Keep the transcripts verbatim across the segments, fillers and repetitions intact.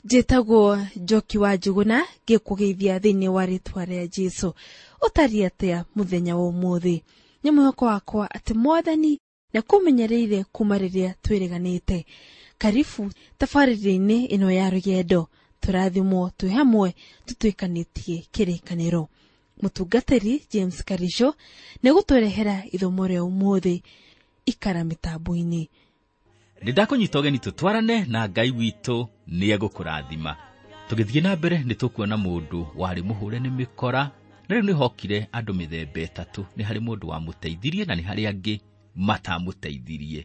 Njĩtagwo Njoki wa Njuguna, ngĩkũgeithia thĩinĩ wa rĩtwa rĩa Jesũ. Ũtariĩ atĩa mũthenya wa ũmũthĩ? Nĩ mwĩhoko wakwa atĩ Mwathani nĩakũmenyereire kuma rĩrĩa twĩrĩganĩte. Karibu tabarĩra-inĩ ĩno ya rũgendo, tũrathimwo twĩ hamwe tũtuĩkanĩtie kĩrĩkanĩro. Mũtungatĩri James Karisho nĩegũtũrehera ithomo rĩa ũmũthĩ. Ikara mĩtambo-inĩ. Nĩ ndakũnyita ũgeni tũtwarane na Ngai witũ nĩegũkũrathima. Tũgĩthiĩ na mbere nĩ tũkuona mũndũ warĩ mũhũre nĩ mĩkora, na rĩu nĩhokire andũ mĩthemba ĩtatũ. Nĩ harĩ mũndũ wamũteithirie na nĩ harĩ angĩ matamũteithirie.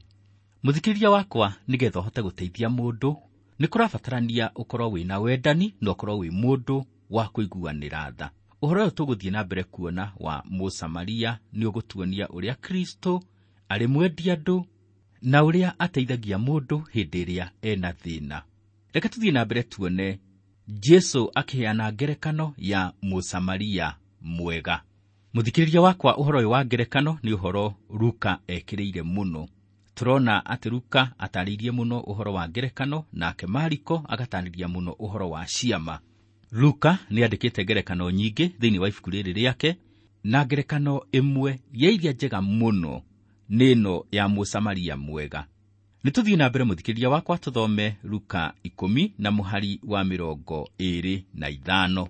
Mũthikĩrĩria wakwa, nĩgetha ũhote gũteithia mũndũ nĩ kũrabatarania ũkorwo wĩna wendani na ũkorwo wĩ mũndũ wa kũiguanĩra tha. Ũhoro ũyũ tũgũthiĩ na mbere kuona wa Mũsamaria nĩ ũgũtuonia ũrĩa Kristo arĩ mwendi andũ na ũrĩa ateithagia mũndũ hĩndĩ ĩrĩa ena thĩna. Reke tũthiĩ na mbere tuone Jesũ akĩheana ngerekano ya Mũsamaria mwega. Mũthikĩrĩria wakwa, ũhoro ũyũ wa ngerekano nĩ ũhoro Luka ekĩrĩire mũno. Tũrona atĩ Luka atarĩirie mũno ũhoro wa ngerekano, nake Mariko agatarĩria mũno ũhoro wa ciama. Luka nĩ andĩkĩte ngerekano nyingĩ thĩinĩ wa ibuku rĩrĩ rĩake, na ngerekano ĩmwe ya iria njega mũno nĩ ĩno ya Mũsamaria mwega. Nĩ tũthiĩ na mbere mũthikĩrĩria wakwa tũthome Luka ikũmi na mũhari wa mĩrongo ĩĩrĩ na ithano.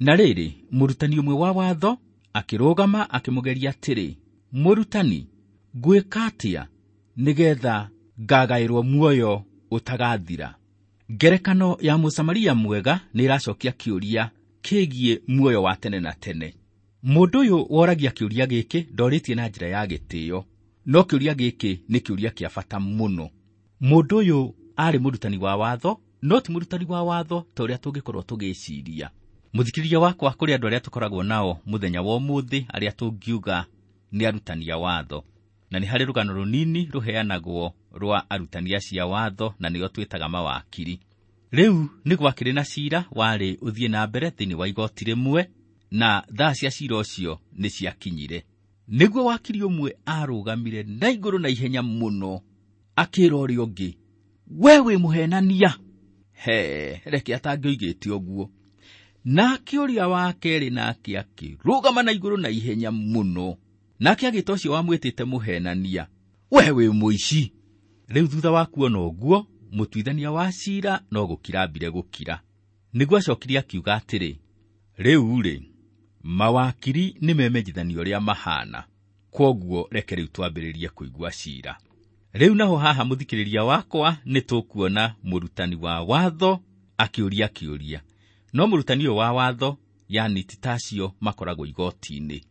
Na rĩrĩ, mũrutani ũmwe wa watho akĩrũgama akĩmũgeria atĩrĩ, Mũrutani, ngwĩka atĩa nĩgetha ngagaĩrwo muoyo ũtagathira? Ngerekano ya Mũsamaria mwega nĩ ĩracokia kĩũria kĩgiĩ muoyo wa tene na tene. Mũndũ ũyũ woragia kĩũria gĩkĩ ndorĩtie na njĩra ya gĩtĩo, no kĩũria gĩkĩ nĩ kĩũria kĩa bata mũno. Mũndũ ũyũ arĩ mũrutani wa watho, no ti mũrutani wa watho ta ũrĩa tũngĩkorwo tũgĩciria. Mũthikĩrĩria wakwa, kũrĩ andũ arĩa tũkoragwo nao mũthenya wa ũmũthĩ arĩa tũngiuga nĩ arutani a watho, na nĩ harĩ rũgano rũnini rũheanagwo rwa arutani acio a watho, na nĩo twĩtaga mawakiri. Rĩu nĩ gwakĩrĩ na cira warĩ ũthiĩ na mbere thĩinĩ wa igoti rĩmwe, na thaa cia cira ũcio nĩ ciakinyire. Nĩguo wakiri ũmwe arũgamire na igũrũ na ihenya mũno akĩra ũrĩa ũngĩ, we wĩ mũhenania. He, reke atangĩoigĩte ũguo. Nake ũrĩa wa kerĩ nake akĩrũgama na igũrũ na ihenya mũno, nake agĩta ũcio wamwĩtĩte mũhenania, we wĩ mũici. Rĩu thutha wa kuona ũguo, mũtuithania wa cira no gũkira ambire gũkira. Nĩguo acokirie akiuga atĩrĩ, rĩu-rĩ, mawakiri nĩ memenyithania ũrĩa mahana, kwoguo reke rĩu twambĩrĩrie kũigua cira. Rĩu naho haha mũthikĩrĩria wakwa nĩ tũkuona mũrutani wa watho akĩũria kĩũria. No mũrutani ũyũ wa watho, yani ti ta acio makoragwo igoti-inĩ,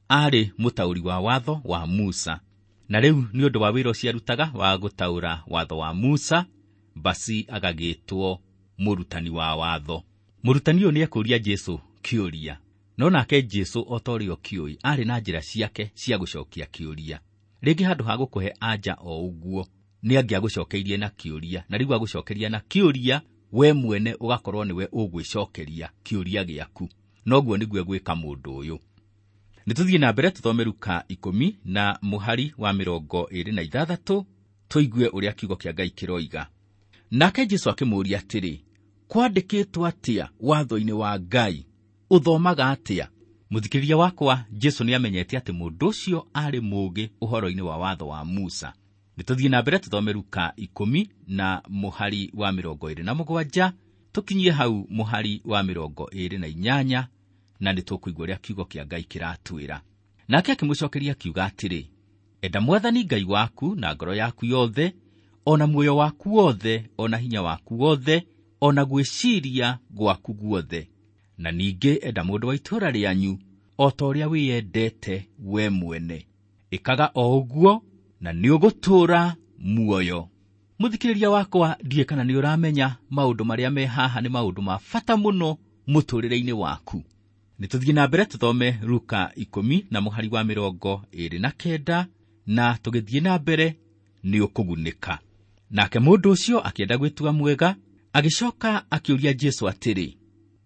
arĩ mũtaũri wa watho wa Musa. Na rĩu nĩ ũndũ wa wĩra ũcio arutaga wa gũtaũra watho wa Musa, basi agagĩtwo mũrutani wa watho. Mũrutani ũyũ nĩekũria Jesũ kĩũria, no nake Jesũ o ta ũrĩa ũkĩũĩ arĩ na njĩra ciake cia gũcokia kĩũria. Rĩngĩ handũ ha gũkũhe anja o ũguo, nĩ angĩagũcokeirie na kĩũria, na rĩu agũcokeria na kĩũria, we mwene ũgakorwo nĩwe ũgwĩcokeria kĩũria gĩaku. Noguo nĩguo egwĩka mũndũ ũyũ. Nĩ tũthiĩ na mbere tũthome Luka ikũmi na mũhari wa mĩrongo ĩĩrĩ na ithathatũ, tũigue ũrĩa kiugo kĩa Ngai kĩroiga. Nake Jesũ akĩmũũria atĩrĩ, kwandĩkĩtwo atĩa watho-inĩ wa Ngai? Ũthomaga atĩa? Mũthikĩrĩria wakwa, Jesũ nĩamenyete atĩ mũndũ ũcio arĩ mũũgĩ ũhoro-inĩ wa watho wa Musa. Nĩ tũthiĩ na mbere tũthome Luka ikũmi na mũhari wa mĩrongo ĩĩrĩ na mũgwanja, tũkinyie hau mũhari wa mĩrongo ĩĩrĩ na inyanya, na nĩ tũkũigua ũrĩa kiugo kĩa Ngai kĩratwĩra. Nake akĩmũcokeria akiuga atĩrĩ, enda Mwathani Ngai waku na ngoro yaku yothe, o na muoyo waku wothe, o na hinya waku wothe, o na gwĩciria gwaku guothe. Na ningĩ enda mũndũ wa itũũra rĩanyu o ta ũrĩa wĩyendete we mwene. Ĩkaga o ũguo na nĩũgũtũũra muoyo. Mũthikĩrĩria wakwa, ndiũĩ kana nĩ ũramenya maũndũ marĩa me haha nĩ maũndũ ma bata mũno mũtũũrĩre-inĩ waku. Nĩ tũthiĩ na mbere tũthome Luka ikũmi na mũhari wa mĩrongo ĩĩrĩ na kenda, na tũgĩthiĩ na mbere nĩ ũkũgunĩka. Nake mũndũ ũcio akĩenda gwĩtua mwega, agĩcoka akĩũria Jesũ atĩrĩ,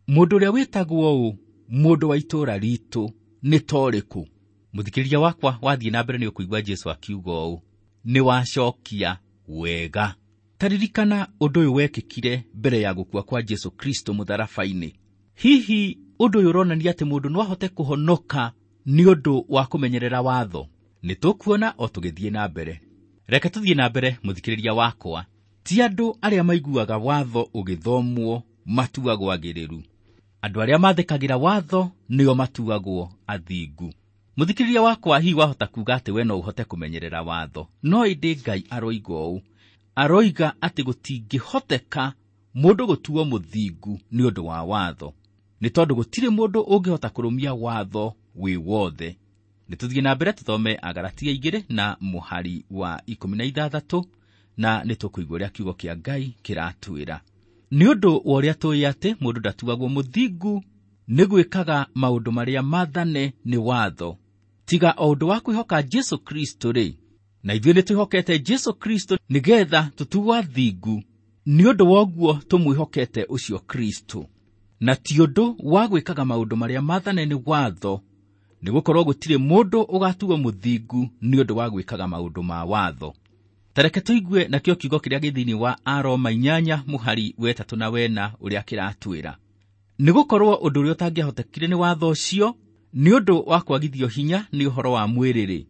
mũndũ ũrĩa wĩtagwo ũũ, mũndũ wa itũũra ritũ, nĩ ta ũrĩkũ? Mũthikĩrĩria wakwa, wathiĩ na mbere nĩ ũkũigua Jesũ akiuga ũũ, nĩ wacokia wega. Taririkana ũndũ ũyũ wekĩkire mbere ya gũkua kwa Jesu Kristo mũtharaba-inĩ. Hihi ũndũ ũyũ ũronania atĩ mũndũ no ahote kũhonoka nĩ ũndũ wa kũmenyerera watho? Nĩ tũkuona o tũgĩthiĩ na mbere. Reke tũthiĩ na mbere, mũthikĩrĩria wakwa. Ti andũ arĩa maiguaga watho ũgĩthomwo matuagwo agĩrĩru. Andũ arĩa mathĩkagĩra watho nĩo matuagwo athingu. Mũthikĩrĩria wakwa, hihi wahota kuga atĩ we no ũhote kũmenyerera watho, no ĩndĩ Ngai aroiga ũũ, aroiga atĩ gũtingĩhoteka mũndũ gũtuo mũthingu nĩ ũndũ wa watho, nĩ tondũ gũtirĩ mũndũ ũngĩhota kũrũmia watho wĩ wothe. Nĩ tũthiĩ na mbere tũthome Agalatia igĩrĩ na mũhari wa ikũmi na ithathatũ, na nĩ tũkũigua ũrĩa kiugo kĩa Ngai kĩratwĩra. Nĩ ũndũ wa ũrĩa tũĩ atĩ mũndũ ndatuagwo mũthingu nĩ gwĩkaga maũndũ marĩa maathane nĩ watho, tiga o ũndũ wa kwĩhoka Jesu Kristo rĩ, na ithuĩ nĩ twĩhokete Jesu Kristo nĩgetha tũtuo athingu nĩ ũndũ wa ũguo tũmwĩhokete ũcio Kristo, na ti ũndũ wa gwĩkaga maũndũ marĩa maathane nĩ watho, nĩ gũkorwo gũtirĩ mũndũ ũgatuo mũthingu nĩ ũndũ wa gwĩkaga maũndũ ma watho. Tareke tũigue nakĩo kiugo kĩrĩa gĩ thĩinĩ wa Aroma inyanya mũhari wetatũ na wena ũrĩa kĩratwĩra. Nĩ gũkorwo ũndũ ũrĩa ũtangĩahotekire nĩ watho ũcio nĩ ũndũ wa kwagithio hinya nĩ ũhoro wa mwĩrĩ-rĩ,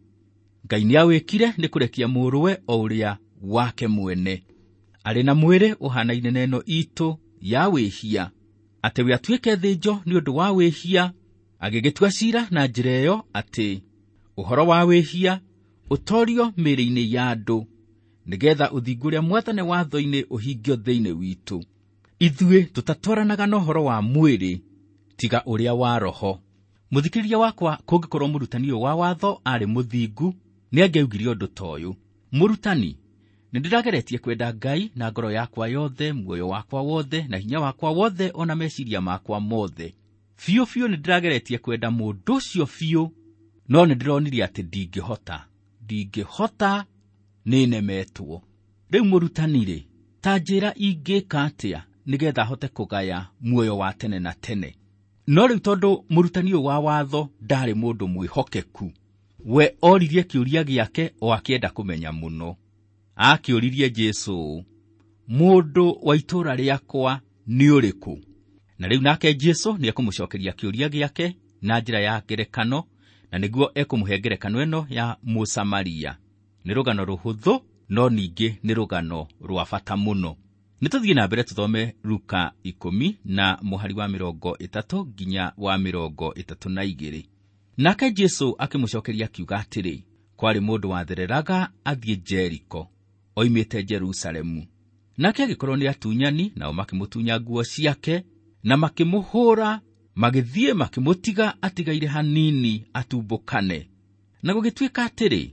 Ngai nĩawĩkire nĩ kũrekia mũrũwe o ũrĩa wake mwene, arĩ na mwĩrĩ ũhanaine na ĩno itũ ya wĩhia, atĩ we atuĩke thĩnjo nĩ ũndũ wa wĩhia, agĩgĩtua ciira na njĩra ĩyo atĩ ũhoro wa wĩhia ũtorio mĩĩrĩ-inĩ ya andũ, nĩgetha ũthingu ũrĩa mwathane watho-inĩ ũhingio thĩinĩ witũ. Ithuĩ tũtatwaranaga na ũhoro wa mwĩrĩ tiga ũrĩa wa roho. Mũthikĩrĩria wakwa, kũngĩkorwo mũrutani ũyũ wa watho arĩ mũthingu, nĩangĩaugire ũndũ ta ũyũ: mũrutani, nĩ ndĩrageretie kwenda Ngai na ngoro yakwa yothe, muoyo wakwa wothe, na hinya wakwa wothe, ona meciria makwa mothe. Biũ biũ nĩ ndĩrageretie kwenda mũndũ ũcio biũ, no nĩ ndĩronire atĩ ndingĩhota, ndingĩhota, nĩnemetwo. Rĩu mũrutani-rĩ, ta njĩra ingĩka atĩa nĩgetha hote kũgaya muoyo wa tene na tene? No rĩu tondũ mũrutani ũyũ wa watho ndarĩ mũndũ mwĩhokeku, we oririe kĩũria gĩake o akĩenda kũmenya mũno. Akĩũririe Jesũ ũũ: mũndũ wa itũũra rĩakwa nĩ ũrĩkũ? Na rĩu nake Jesũ nĩekũmũcokeria kĩũria gĩake na njĩra ya ngerekano, na nĩguo ekũmũhe ngerekano ĩno ya Mũsamaria. Nĩ rũgano rũhũthũ, no ningĩ nĩ rũgano rwa bata mũno. Nĩ tũthiĩ na mbere tũthome Luka ikũmi na mũhari wa mĩrongo ĩtatũ nginya wa mĩrongo ĩtatũ na igĩrĩ. Nake Jesũ akĩmũcokeria akiuga atĩrĩ, kwarĩ mũndũ wathereraga athiĩ Jeriko, oimĩte Jerusalemu. Nake agĩkorwo nĩ atunyani, nao makĩmũtunya nguo ciake na makĩmũhũra, magĩthiĩ makĩmũtiga atigaire hanini atumbũkane. Na gũgĩtuĩka atĩrĩ,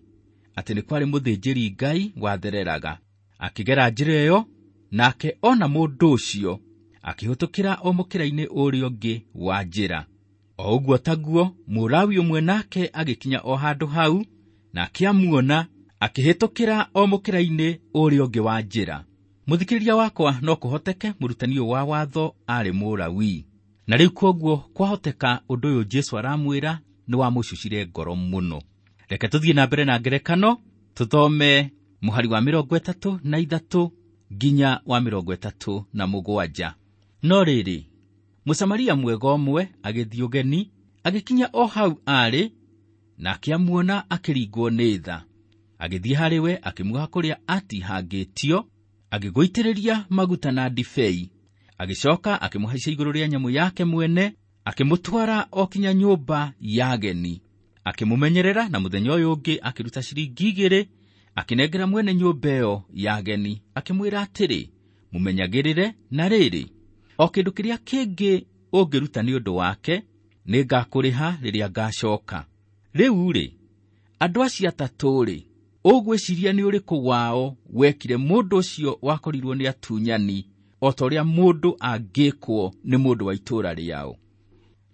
atĩ nĩ kwarĩ mũthĩnjĩri Ngai wathereraga, akĩgera njĩra ĩyo, nake ona mũndũ ũcio akĩhĩtũkĩra o mũkĩra-inĩ ũrĩa ũngĩ wa njĩra. O ũguo taguo Mũlawi ũmwe nake agĩkinya o handũ hau, nake amuona akĩhĩtũkĩra o mũkĩra-inĩ ũrĩa ũngĩ wa njĩra. Mũthikĩrĩria wakwa, no kũhoteke mũrutani ũyũ wa watho arĩ Mũlawi, na rĩu kwoguo kwahoteka ũndũ ũyũ Jesũ aramwĩra nĩ wamũcucire ngoro mũno. Reke tũthiĩ na mbere na ngerekano, tũthome mũhari wa mĩrongo ĩtatũ na ithatũ nginya wa mĩrongo ĩtatũ na mũgwanja. No rĩrĩ, Mũsamaria mwega ũmwe agĩthiĩ ũgeni, agĩkinya o hau aarĩ, nake amuona akĩringwo nĩ tha. Agĩthiĩ harĩ we, akĩmuoha kũrĩa atihangĩtio, agĩgũitĩrĩria maguta na ndibei. Agĩcoka akĩmũhaicia igũrũ rĩa nyamũ yake mwene, akĩmũtwara o kinya nyũmba ya ageni. Akĩmũmenyerera, na mũthenya ũyũ ũngĩ akĩruta ciringi igĩrĩ, akĩnengera mwene nyũmba ĩyo ya ageni, akĩmwĩra atĩrĩ, mũmenyagĩrĩre, na rĩrĩ, o kĩndũ kĩrĩa kĩngĩ ũngĩruta nĩ ũndũ wake, nĩngakũrĩha rĩrĩa ngacoka. Rĩu-rĩ, andũ acio atatũ-rĩ, ũgwĩciria nĩ ũrĩkũ wao wekire mũndũ ũcio wakorirwo nĩ atunyani o ta ũrĩa mũndũ angĩkwo nĩ mũndũ wa itũũra rĩao?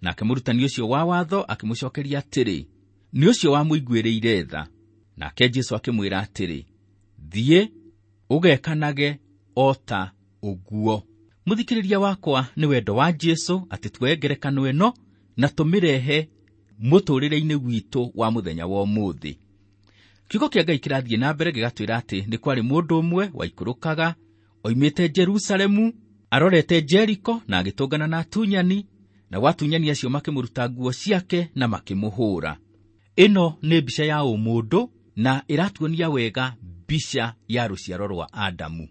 Nake mũrutani ũcio wa watho akĩmũcokeria atĩrĩ, nĩ ũcio wamũiguĩrĩire tha. Nake Jesũ akĩmwĩra atĩrĩ, thiĩ ũgekanage o ta ũguo. Mũthikĩrĩria wakwa, nĩ wendo wa Jesũ atĩ tuoe ngerekano ĩno na tũmĩrehe mũtũũrĩre-inĩ witũ wa mũthenya wa ũmũthĩ. Kiugo kĩa Ngai kĩrathiĩ na mbere gĩgatwĩra atĩ nĩ kwarĩ mũndũ ũmwe waikũrũkaga Oimĩte Jerusalemu arorete Jeriko na agĩtũngana na atunyani, na atunyani acio makĩmũruta nguo ciake na makĩmũhũra. Ĩno nĩ mbica ya ũmũndũ na ĩratuonia wega mbica ya rũciaro rwa Adamu.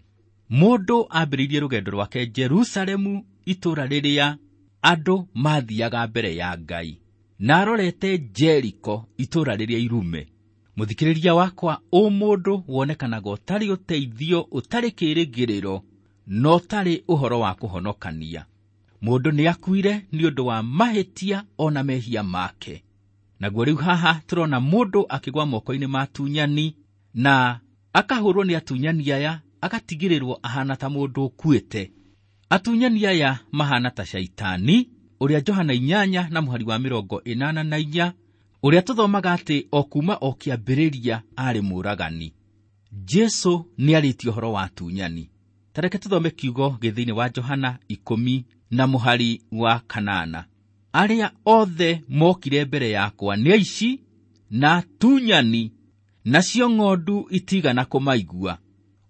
Mũndũ ambĩrĩirie rũgendo rwake Jerusalemu, itũũra rĩrĩa andũ mathiaga mbere ya Ngai, na arorete Jeriko, itũũra rĩrĩa irume. Mũthikĩrĩria wakwa, ũmũndũ wonekanaga ũtarĩ ũteithio, ũtarĩ kĩĩrĩgĩrĩro, na ũtarĩ ũhoro wa kũhonokania. Mũndũ nĩ akuire nĩ ũndũ wa mahĩtia ona mehia make. Naguo rĩu haha tũrona mũndũ akĩgwa moko-inĩ ma atunyani na akahũrwo nĩ atunyani aya, agatigĩrĩrwo ahana ta mũndũ ũkuĩte. Atunyani aya mahana ta Shaitani, ũrĩa Johana inyanya na mũhari wa mĩrongo ĩnana na inya, ũrĩa tũthomaga atĩ o kuma o kĩambĩrĩria arĩ mũũragani. Jesu nĩarĩtie ũhoro wa atunyani. Ta reke tũthome kiugo gĩ thĩinĩ wa Johana ikũmi na mũhari wa kanana. Arĩa othe mokire mbere yakwa nĩ aici na atunyani, nacio ng'ondu itigana kũmaigua.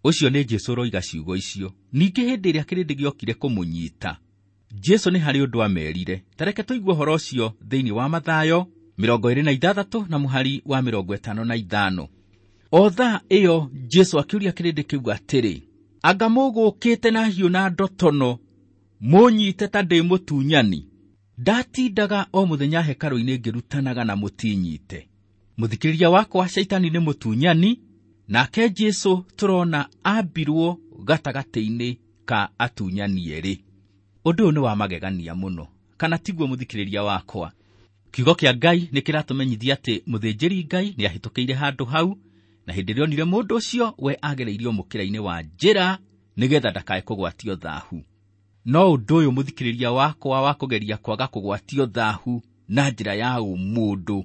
Ũcio nĩ Jesu ũroiga ciugo icio. Ningĩ hĩndĩ ĩrĩa kĩrĩndĩ gĩokire kũmũnyita, Jesu nĩ harĩ ũndũ amerire. Ta reke tũigue ũhoro ũcio thĩinĩ wa Mathayo mĩrongo ĩrĩ na ithathatũ na mũhari wa mĩrongo ĩtano na ithano. O thaa ĩyo Jesu akĩũria kĩrĩndĩ kĩu atĩrĩ, anga mũgũkĩte na hiũ na ndotono mũnyite ta ndĩ mũtunyani? Ndatindaga o mũthenya hekarũ-inĩ ngĩrutanaga na mũtinyite. Mũthikĩrĩria wakwa, Shaitani nĩ mũtunyani, nake Jesu tũrona ambirwo gatagatĩ-inĩ ka atunyani erĩ. Ũndũ ũyũ nĩ wa magegania mũno, kana tiguo mũthikĩrĩria wakwa? Kiugo kĩa Ngai nĩ kĩratũmenyithia atĩ mũthĩnjĩri Ngai nĩ ahĩtũkĩire handũ hau, na hĩndĩ ĩrĩa onire mũndũ ũcio we agereirio mũkĩra-inĩ wa njĩra nĩgetha ndakae kũgwatio thahu. No ũndũ ũyũ mũthikĩrĩria wakwa wa kũgeria kwaga kũgwatio thahu na njĩra ya ũmũndũ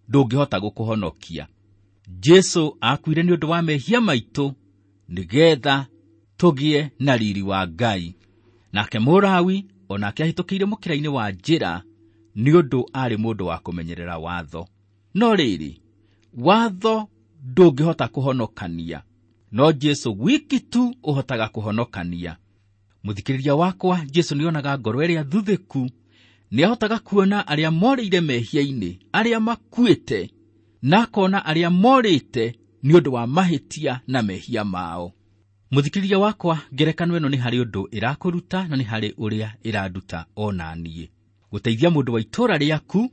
ndũngĩhota gũkũhonokia. Jesu akuire nĩ ũndũ wa mehia maitũ nĩgetha tũgĩe na riri wa Ngai. Nake Mũlawi onake ahĩtũkĩire mũkĩra-inĩ wa njĩra nĩ ũndũ arĩ mũndũ wa kũmenyerera watho. No rĩrĩ, watho ndũngĩhota kũhonokania, no Jesu wiki tu ũhotaga kũhonokania. Mũthikĩrĩria wakwa, Jesu nĩonaga ngoro ĩrĩa thuthĩku, nĩahotaga kuona arĩa morĩire mehia-inĩ, arĩa makuĩte, na akona arĩa morĩte nĩ ũndũ wa mahĩtia na mehia mao. Mũthikĩrĩria wakwa, ngerekano ĩno nĩ harĩ ũndũ ĩrakũruta na nĩ harĩ ũrĩa ĩranduta ona niĩ. Gũteithia mũndũ wa itũũra rĩaku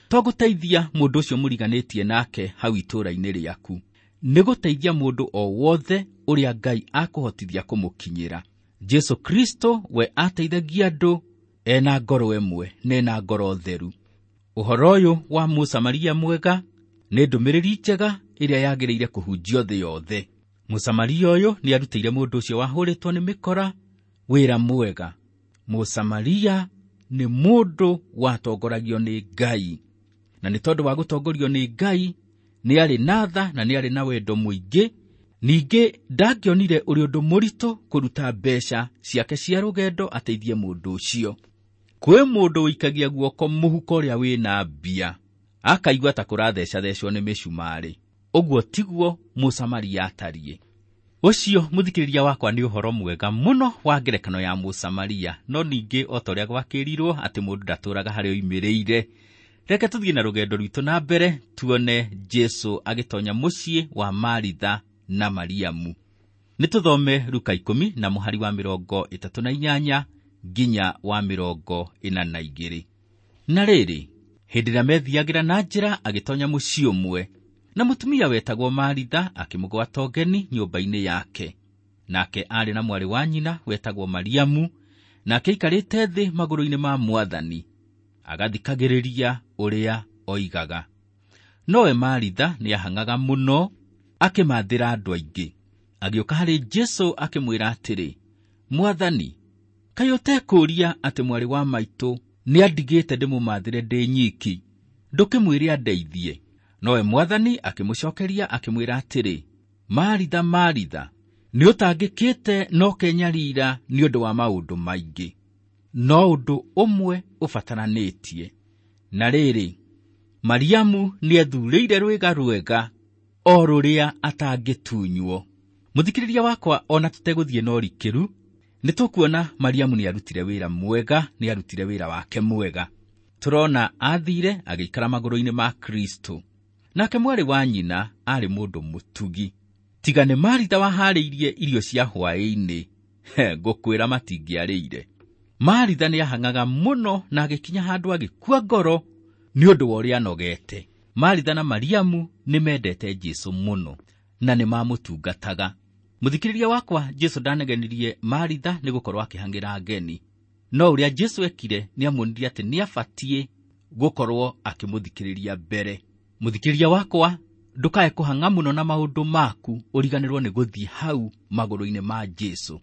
to gũteithia mũndũ ũcio mũriganĩtie nake hau itũũra-inĩ rĩaku, nĩ gũteithia mũndũ o wothe ũrĩa Ngai akũhotithia kũmũkinyĩra. Jesu Kristo we ateithagia andũ ena ngoro ĩmwe na ena ngoro theru. Ũhoro ũyũ wa Mũsamaria mwega nĩ ndũmĩrĩri njega ĩrĩa yagĩrĩire kũhunjio thĩ yothe. Mũsamaria ũyũ nĩ arutĩire mũndũ ũcio wahũrĩtwo nĩ mĩkora wĩra mwega. Mũsamaria nĩ mũndũ watongoragio nĩ Ngai, na nĩ tondũ wa gũtongorio nĩ Ngai nĩ arĩ na tha na nĩ arĩ na wendo mũingĩ. Ningĩ ndangĩonire ũrĩ ũndũ mũritũ kũruta mbeca ciake cia rũgendo ateithie mũndũ ũcio. Kwĩ mũndũ ũikagia guoko mũhuko ũrĩa wĩna mbia akaigua ta kũrathecathecwo nĩ mĩcumarĩ. Ũguo tiguo Mũsamaria atariĩ. Ũcio mũthikĩrĩria wakwa nĩ ũhoro mwega mũno wa ngerekano ya Mũsamaria, no ningĩ o ta ũrĩa gwakĩrirwo atĩ mũndũ ndatũraga harĩa oimĩrĩire. Reke tũthiĩ na rũgendo rwitũ na mbere tuone Jesu agĩtonya mũciĩ wa Maritha na Mariamu. Nĩ tũthome Luka ikũmi na mũhari wa mĩrongo ĩtatũ na inyanya nginya wa mĩrongo ĩna na igĩrĩ. Na rĩrĩ, hĩndĩ ĩrĩa methiagĩra na njĩra agĩtonya mũciĩ ũmwe, na mũtumia wetagwo Maritha akĩmũgwata ũgeni nyũmba-inĩ yake. Nake aarĩ na mwarĩ wa nyina wetagwo Mariamu, nake aikarĩte thĩ magũrũ-inĩ ma Mwathani, agathikagĩrĩria ũrĩa oigaga. Nowe Maritha nĩahang'aga mũno akĩmathĩra andũ aingĩ. Agĩũka harĩ Jesu akĩmwĩra atĩrĩ, Mwathani, kaĩ ũtekũũria atĩ mwarĩ wa maitũ nĩandigĩte ndĩmũmathĩre ndĩ nyiki? Ndũkĩmwĩre andeithie. Nowe Mwathani akĩmũcokeria akĩmwĩra atĩrĩ, Maritha, Maritha, nĩũtangĩkĩte na ũkenyarira nĩ ũndũ wa maũndũ maingĩ, no ũndũ ũmwe ũbataranĩtie. Na rĩrĩ, Mariamu nĩethurĩire rwĩga rwega o rũrĩa atangĩtunywo. Mũthikĩrĩria wakwa, ona tũtegũthiĩ na ũrikĩru, nĩ tũkuona Mariamu nĩ arutire wĩra mwega, nĩ arutire wĩra wake mwega. Tũrona athire agĩikara magũrũ-inĩ ma Kristo. Nake mwarĩ wa nyina aarĩ mũndũ mũtugi. Tiga nĩ Maritha waharĩirie irio cia hwaĩ-inĩ, ngũkwĩra matingĩarĩire. Maritha nĩ ahang'aga mũno na agĩkinya handũ agĩkua ngoro nĩ ũndũ wa ũrĩa anogete. Maritha na Mariamu nĩ mendete Jesũ mũno na nĩ mamũtungataga. Mũthikĩrĩria wakwa, Jesũ ndanegenirie Maritha nĩ gũkorwo akĩhang'ĩra ngeni. No ũrĩa Jesũ ekire nĩ amuonirie atĩ nĩ abatiĩ gũkorwo akĩmũthikĩrĩria mbere. Mũthikĩrĩria wakwa, ndũkae kũhang'a mũno na maũndũ maku ũriganĩrwo nĩ gũthiĩ hau magũrũ-inĩ ma Jesũ.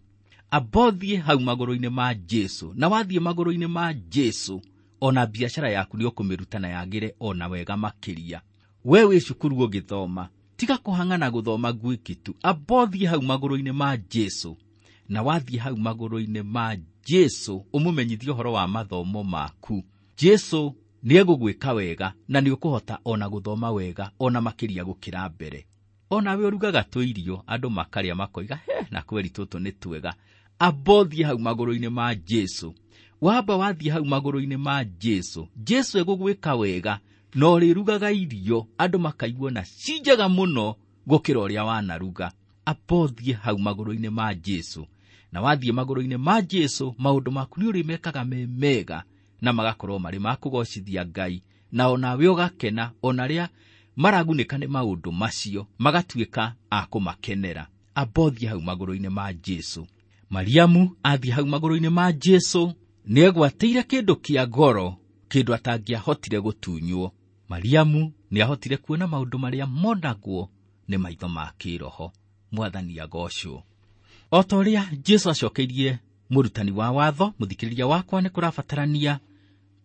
Amba ũthiĩ hau magũrũ-inĩ ma Jesũ, na wathiĩ magũrũ-inĩ ma Jesũ, ona biacara yaku nĩ ũkũmĩruta na yagĩre ona wega makĩria. We wĩ cukuru ũgĩthoma, tiga kũhang'a na gũthoma gwiki tu, amba ũthiĩ hau magũrũ-inĩ ma Jesũ, na wathiĩ hau magũrũ-inĩ ma Jesũ ũmũmenyithie ũhoro wa mathomo maku. Jesũ nĩ egũgwĩka wega na nĩ ũkũhota ona gũthoma wega ona makĩria gũkĩra mbere. Ona we ũrugaga tũirio andũ makarĩa makoiga, he na kweri tũtũ nĩ twega. Amba ũthiĩ hau magũrũ-inĩ ma Jesũ. Wamba wathiĩ hau magũrũ-inĩ ma Jesũ, Jesũ egũgwĩka wega na ũrĩrugaga irio andũ makaigua na ci njega mũno gũkĩra ũrĩa wanaruga. Amba ũthiĩ hau magũrũ-inĩ ma Jesũ, na wathiĩ magũrũ-inĩ ma Jesũ maũndũ maku nĩ ũrĩmekaga me mega na magakorwo marĩ ma kũgocithia Ngai, na onawe ũgakena, ona arĩa maragunĩka nĩ maũndũ macio magatuĩka a kũmakenera. Amba ũthiĩ hau magũrũ-inĩ ma Jesũ. Mariamu athiĩ hau magũrũ-inĩ ma Jesũ nĩegwatĩire kĩndũ kĩa goro, kĩndũ atangĩahotire gũtunywo. Mariamu nĩahotire kuona maũndũ marĩa monagwo nĩ maitho ma kĩroho. Mwathani agocwo. O ta ũrĩa Jesũ acokeirie mũrutani wa watho, mũthikĩrĩria wakwa, nĩ kũrabatarania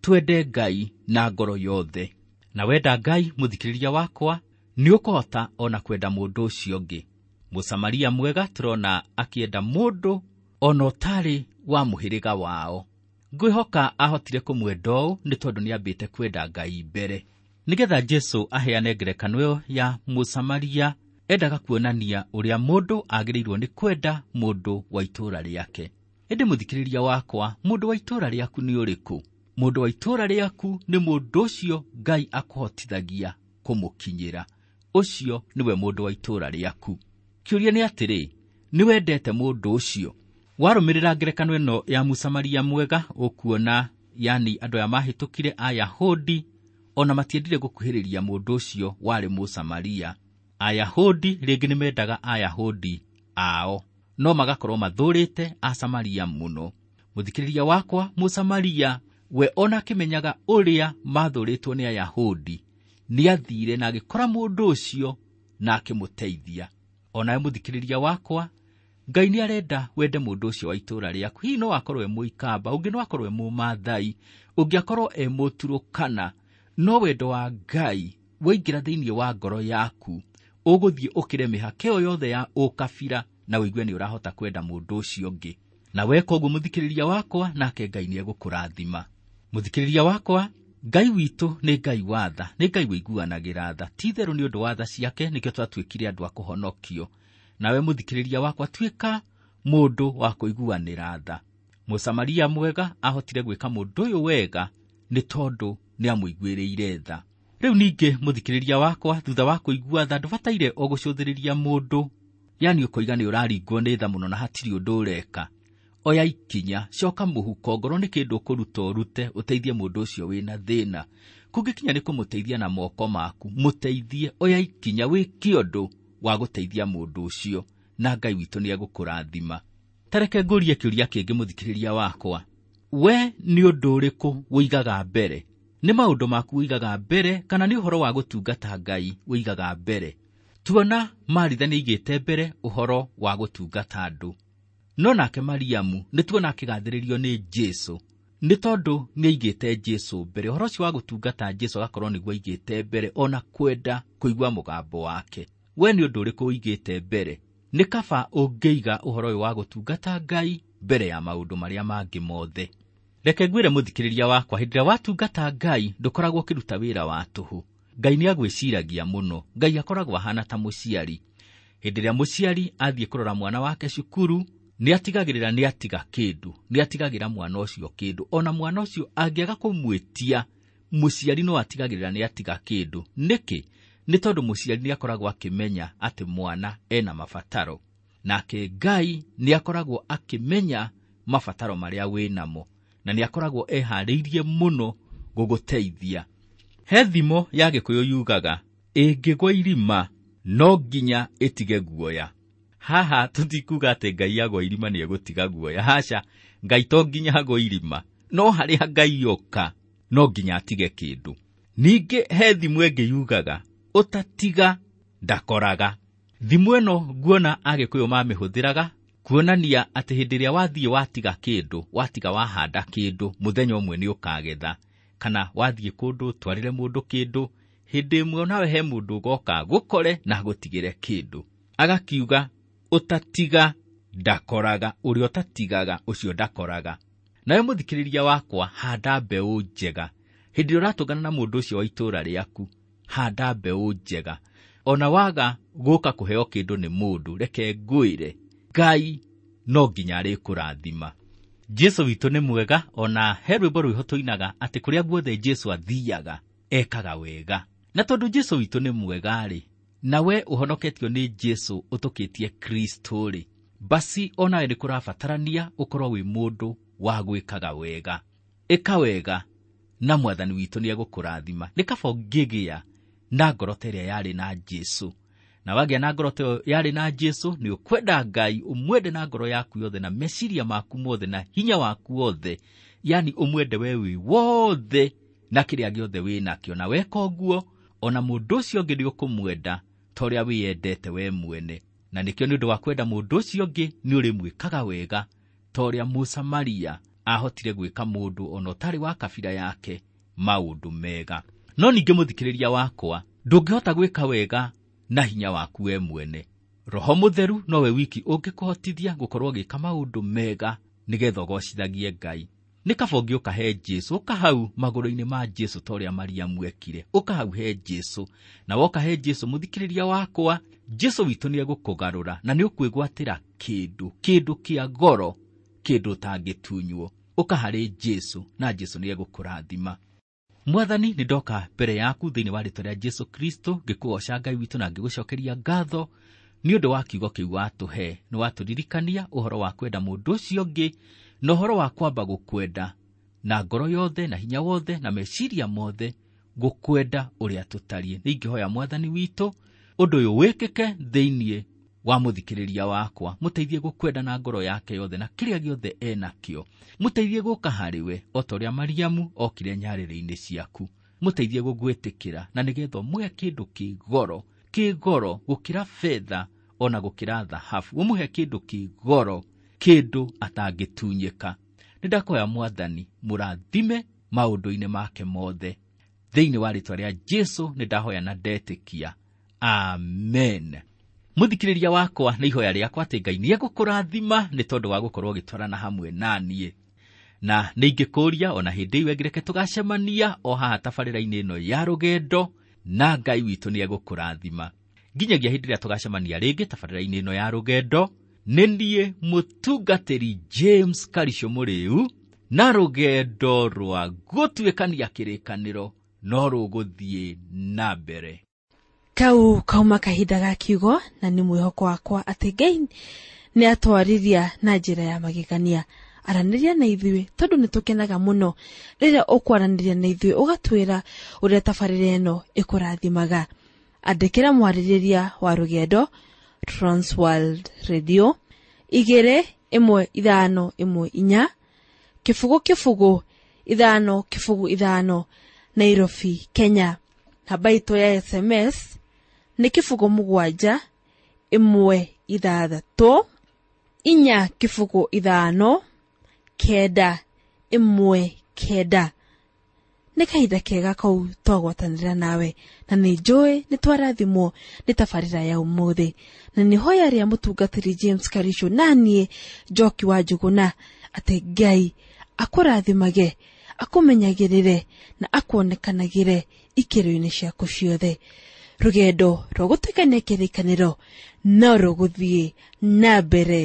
twende Ngai na ngoro yothe. Na wenda Ngai, mũthikĩrĩria wakwa, nĩ ũkũhota ona kwenda mũndũ ũcio ũngĩ. Mũsamaria mwega tũrona akĩenda mũndũ ona ũtarĩ wa mũhĩrĩga wao. Ngwĩhoka ahotire kũmwenda ũũ nĩ tondũ nĩambĩte kwenda Ngai mbere. Nĩgetha Jesũ aheane ngerekano ĩyo ya Mũsamaria, endaga kuonania ũrĩa mũndũ agĩrĩirwo nĩ kwenda mũndũ wa itũũra rĩake. Ĩndĩ mũthikĩrĩria wakwa, mũndũ wa itũũra rĩaku nĩ ũrĩkũ? Mũndũ wa itũũra rĩaku nĩ mũndũ ũcio Ngai akũhotithagia kũmũkinyĩra. Ũcio nĩwe mũndũ wa itũũra rĩaku. Kĩũria nĩ atĩrĩ, nĩ wendete mũndũ ũcio? Warũmĩrĩra ngerekano ĩno ya Mũsamaria mwega, ũkuona yani andũ aya mahĩtũkire Ayahudi ona matiendire gũkuhĩrĩria mũndũ ũcio warĩ Mũsamaria. Ayahudi rĩngĩ nĩ mendaga Ayahudi ao, no magakorwo mathũrĩte Asamaria mũno. Mũthikĩrĩria wakwa, Mũsamaria we ona akĩmenyaga ũrĩa mathũrĩtwo nĩ Ayahudi, nĩathire na agĩkora mũndũ ũcio na akĩmũteithia. Onawe mũthikĩrĩria wakwa, Ngai nĩ arenda wende mũndũ ũcio wa itũũra rĩaku. Hihi no akorwo e Mũikamba, ũngĩ no akorwo e Mũmathai, ũngĩ akorwo e Mũturũkana, no wendo wa Ngai waingĩra thĩinĩ wa ngoro yaku, ũgũthiĩ ũkĩre mĩhaka ĩyo yothe ya ũkabira na ũigue nĩ ũrahota kwenda mũndũ ũcio ũngĩ. Na weka ũguo mũthikĩrĩria wakwa, nake Ngai nĩ egũkũrathima. Mũthikĩrĩria wakwa, Ngai witũ nĩ Ngai wa tha, nĩ Ngai ũiguanagĩra tha. Ti itherũ nĩ ũndũ wa tha ciake nĩkĩo twatuĩkire andũ a kũhonokio. Nawe mũthikĩrĩria wakwa, tuĩka mũndũ wa kũiguanĩra tha. Mũsamaria mwega ahotire gwĩka mũndũ ũyũ wega nĩ tondũ nĩamũiguĩrĩire tha. Rĩu ningĩ mũthikĩrĩria wakwa, thutha wa kũigua tha, ndũbataire o gũcũthĩrĩria mũndũ, yani ũkoiga nĩ ũraringwo nĩ tha mũno na hatirĩ ũndũ ũreka. Oya ikinya, coka mũhuko, ngorwo nĩ kĩndũ ũkũruta ũrute, ũteithie mũndũ ũcio wĩna thĩna. Kũngĩkinya nĩ kũmũteithia na moko maku, mũteithie, oya ikinya, wĩke ũndũ wa gũteithia mũndũ ũcio, na Ngai witũ nĩ egũkũrathima. Ta reke ngũrie kĩũria kĩngĩ mũthikĩrĩria wakwa, we nĩ ũndũ ũrĩkũ ũigaga mbere? Nĩ maũndũ maku ũigaga mbere kana nĩ ũhoro wa gũtungata Ngai ũigaga mbere? Tuona Maritha nĩ aigĩte mbere ũhoro wa gũtungata andũ, no nake Mariamu nĩ tuona akĩgathĩrĩrio nĩ Jesũ nĩ tondũ nĩ aigĩte Jesũ mbere. Ũhoro ũcio wa gũtungata Jesũ agakorwo nĩguo aigĩte mbere, ona kwenda kũigua mũgambo wake. We nĩ ũndũ ũrĩkũ ũigĩte mbere? Nĩ kaba ũngĩiga ũhoro ũyũ wa gũtungata Ngai mbere ya maũndũ marĩa mangĩ mothe. Reke ngwĩre mũthikĩrĩria wakwa, hĩndĩ ĩrĩa watungata Ngai ndũkoragwo ũkĩruta wĩra wa tũhũ. Ngai nĩ agwĩciragia mũno. Ngai akoragwo ahana ta mũciari. Hĩndĩ ĩrĩa mũciari athiĩ kũrora mwana wake cukuru, nĩ atigagĩrĩra nĩ atiga kĩndũ, nĩ atigagĩra mwana ũcio kĩndũ. Ona mwana ũcio angĩaga kũmwĩtia, mũciari no atigagĩrĩra nĩ atiga kĩndũ. Nĩkĩ? Nĩ tondũ mũciari nĩ akoragwo akĩmenya atĩ mwana ena mabataro. Nake Ngai nĩ akoragwo akĩmenya mabataro marĩa wĩnamo, na nĩ akoragwo eharĩirie mũno gũgũteithia. He thimo ya Gĩkũyũ yugaga, ĩngĩgwa irima no nginya ĩtige guoya. Haha tũtikuga atĩ Ngai agwa irima nĩ egũtiga guoya. Haca, Ngai to nginya agwa irima, no harĩa Ngai oka no nginya atige kĩndũ. Ningĩ he thimo ĩngĩ yugaga, ũtatiga ndakoraga. Thimo ĩno nguona Agĩkũyũ mamĩhũthĩraga kuonania atĩ hĩndĩ ĩrĩa wathiĩ watiga kĩndũ, watiga wahanda kĩndũ, mũthenya ũmwe nĩ ũkagetha. Kana wathiĩ kũndũ ũtwarĩre mũndũ kĩndũ, hĩndĩ ĩmwe nawe he mũndũ ũgoka gũkore na agũtigĩre kĩndũ. Agakiuga ũtatiga ndakoraga, ũrĩa ũtatigaga ũcio ndakoraga. Nawe mũthikĩrĩria wakwa, handa mbeũ njega. Hĩndĩ ĩrĩa ũratũngana na mũndũ ũcio wa itũũra rĩaku, handa mbeũ njega. Ona waga gũka kũheo kĩndũ nĩ mũndũ, reke ngwĩre, Ngai no nginya arĩkũrathima. Jesu witũ nĩ mwega, ona he rwĩmbo rwĩho tũinaga atĩ kũrĩa guothe Jesu athiaga ekaga wega. Na tondũ Jesu witũ nĩ mwega-rĩ, na we ũhonoketio nĩ Jesu ũtũkĩtie Kristo-rĩ, basi onawe nĩ kũrabatarania ũkorwo wĩ mũndũ wa gwĩkaga wega. Ĩka wega na Mwathani witũ nĩ egũkũrathima. Nĩ kaba ũngĩgĩa na ngoro ta ĩrĩa yarĩ na Jesu. Na wagĩa na ngoro ta ĩyo yarĩ na Jesu, nĩ ũkwenda Ngai, ũmwende na ngoro yaku yothe, na meciria maku mothe, na hinya waku wothe, yani ũmwende we wĩ wothe na kĩrĩa gĩothe wĩ nakĩo. Na weka ũguo, ona mũndũ ũcio ũngĩ nĩ ũkũmwenda ta ũrĩa wĩyendete we mwene. Na nĩkĩo nĩ ũndũ wa kwenda mũndũ ũcio ũngĩ nĩ ũrĩmwĩkaga wega ta ũrĩa Mũsamaria ahotire gwĩka mũndũ ona ũtarĩ wa kabira yake maũndũ mega. No ningĩ mũthikĩrĩria wakwa, ndũngĩhota gwĩka wega na hinya waku we mwene. Roho Mũtheru nowe wiki ũngĩkũhotithia gũkorwo ũgĩka maũndũ mega nĩgetha ũgocithagie Ngai. Nĩ kaba ũngĩũka he Jesu, ũka hau magũrũ-inĩ ma Jesu ta ũrĩa Mariamu ekire. Ũka hau he Jesu, na woka he Jesu mũthikĩrĩria wakwa, Jesu witũ nĩ egũkũgarũra na nĩ ũkwĩgwatĩra kĩndũ, kĩndũ kĩa goro, kĩndũ ũtangĩtunywo. Ũka harĩ Jesu na Jesu nĩ egũkũrathima. Mwathani, nĩ ndoka mbere yaku thĩinĩ wa rĩĩtwa rĩa Jesu Kristo, ngĩkũgoca Ngai witũ na ngĩgũcokeria ngatho nĩ ũndũ wa kiugo kĩu watũhe. Nĩ watũririkania ũhoro wa kwenda mũndũ ũcio ũngĩ na ũhoro wa kwamba gũkwenda na ngoro yothe na hinya wothe na meciria mothe, gũkwenda ũrĩa tũtariĩ. Nĩ ingĩhoya Mwathani witũ ũndũ ũyũ wĩkĩke thĩinĩ wa mũthikĩrĩria wakwa, mũteithie gũkwenda na ngoro yake yothe na kĩrĩa gĩothe enakĩo. Mũteithie gũka harĩ we o ta ũrĩa Mariamu okire nyarĩrĩ-inĩ ciaku. Mũteithie gũgwĩtĩkĩra na nĩgetha ũmũhe kĩndũ kĩ goro, kĩ goro gũkĩra betha ona gũkĩra thahabu. Ũmũhe kĩndũ kĩ goro, kĩndũ atangĩtunyĩka. Nĩ ndakũhoya Mwathani mũrathime maũndũ-inĩ make mothe. Thĩinĩ wa rĩĩtwa rĩa Jesu nĩ ndahoya na ndetĩkia. Amen. Mũthikĩrĩria wakwa, nĩ ihoya rĩakwa atĩ Ngai nĩ egũkũrathima nĩ tondũ wa gũkorwo ũgĩtwarana hamwe na niĩ. Na nĩ ingĩkũũria ona hĩndĩ ĩyo ĩngĩ reke tũgacemania o haha tabarĩra-inĩ ĩno ya rũgendo, na Ngai witũ nĩ egũkũrathima. Nginyagia hĩndĩ ĩrĩa tũgacemania rĩngĩ tabarĩra-inĩ ĩno ya rũgendo, nĩ niĩ mũtungatĩri James Karisho Mũrĩu, na rũgendo rwa gũtuĩkania kĩrĩkanĩro no rũgũthiĩ na mbere. Kau kauma kahinda ga kiugo, na nĩ mwĩhoko wakwa atĩ Ngai nĩ atwarĩria na njĩra ya magegania. Aranĩria na ithuĩ tondũ nĩ tũkenaga mũno rĩrĩa ũkwaranĩria na ithuĩ ũgatwĩra ũrĩa tabarĩra ĩno ĩkũrathimaga. Andĩkĩra mwarĩrĩria wa rũgendo Transworld Radio igĩrĩ ĩmwe ithano ĩmwe inya kĩbũgũ kĩbũgũ ithano kĩbũgũ ithano Nairobi, Kenya. Namba itũ ya S M S nĩ kĩbũgũ mũgwanja ĩmwe ithathatũ inya kĩbũgũ ithano kenda ĩmwe kenda. Nĩ kahinda kega kau twagwatanĩra nawe, na nĩ njũĩ nĩ twarathimwo nĩ tabarĩra ya ũmũthĩ. Na nĩ hoya rĩa mũtungatĩri James Karisho na niĩ Njoki wa Njũgũna atĩ Ngai akũrathimage, akũmenyagĩrĩre na akuonekanagĩre ikĩro-inĩ ciaku ciothe. Rũgendo rwa gũtuĩkania kĩrĩkanĩro no rũgũthiĩ na mbere